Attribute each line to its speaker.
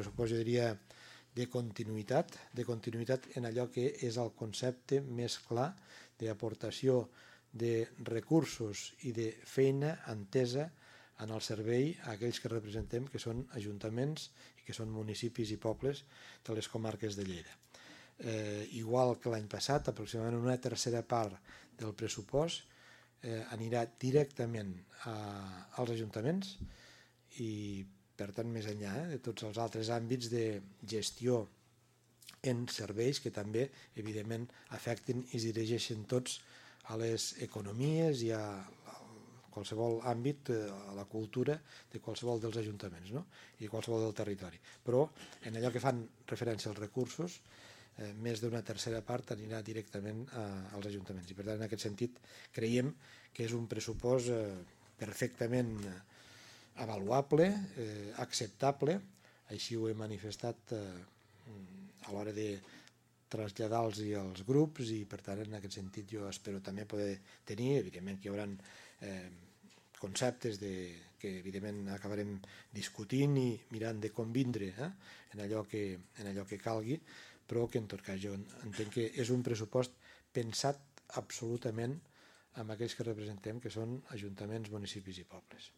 Speaker 1: pressupost, jo diria, de continuïtat en allò que és el concepte més clar d'aportació de recursos i de feina entesa en el servei a aquells que representem, que són ajuntaments i que són municipis i pobles de les comarques de Lleida. Igual que l'any passat, aproximadament una tercera part del pressupost anirà directament als ajuntaments i, per tant, més enllà de tots els altres àmbits de gestió en serveis que també, evidentment, afecten i es dirigeixen tots a les economies i a qualsevol àmbit, a la cultura de qualsevol dels ajuntaments, no? I qualsevol del territori. Però en allò que fan referència als recursos, més d'una tercera part anirà directament als ajuntaments. I per tant, en aquest sentit, creiem que és un pressupost perfectament avaluable, acceptable, així ho he manifestat a l'hora de traslladar-los als grups i, per tant, en aquest sentit jo espero també poder tenir, evidentment que hi haurà conceptes que evidentment acabarem discutint i mirant de convindre en allò que calgui, però que en tot cas jo entenc que és un pressupost pensat absolutament amb aquells que representem, que són ajuntaments, municipis i pobles.